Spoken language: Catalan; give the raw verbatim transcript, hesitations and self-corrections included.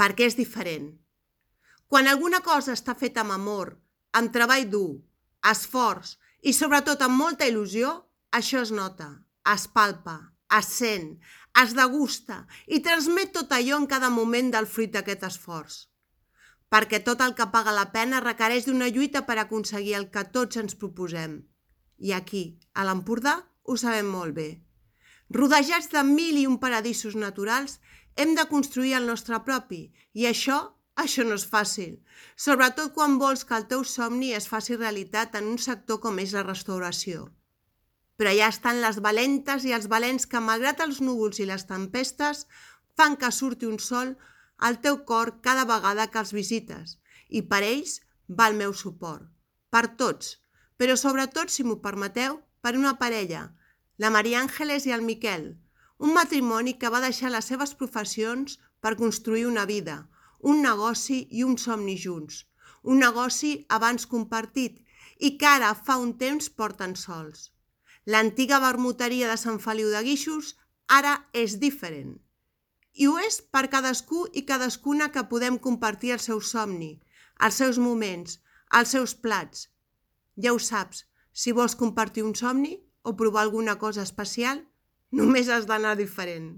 perquè és diferent. Quan alguna cosa està feta amb amor, amb treball dur, esforç i sobretot amb molta il·lusió, això es nota, es palpa, es sent, es degusta i transmet tot allò en cada moment del fruit d'aquest esforç. Perquè tot el que paga la pena requereix d'una lluita per aconseguir el que tots ens proposem. I aquí, a l'Empordà, ho sabem molt bé. Rodejats de mil i un paradisos naturals, hem de construir el nostre propi, i això, això no és fàcil, sobretot quan vols que el teu somni es faci realitat en un sector com és la restauració. Però allà estan les valentes i els valents que, malgrat els núvols i les tempestes, fan que surti un sol al teu cor cada vegada que els visites, i per ells va el meu suport. Per tots, però sobretot, si m'ho permeteu, per una parella, la Maria Àngeles i el Miquel, un matrimoni que va deixar les seves professions per construir una vida, un negoci i un somni junts, un negoci abans compartit i que ara fa un temps porten sols. L'antiga vermuteria de Sant Feliu de Guíxols ara és diferent. I ho és per cadascú i cadascuna que podem compartir el seu somni, els seus moments, els seus plats. Ja ho saps, si vols compartir un somni o provar alguna cosa especial, només has d'anar diferent.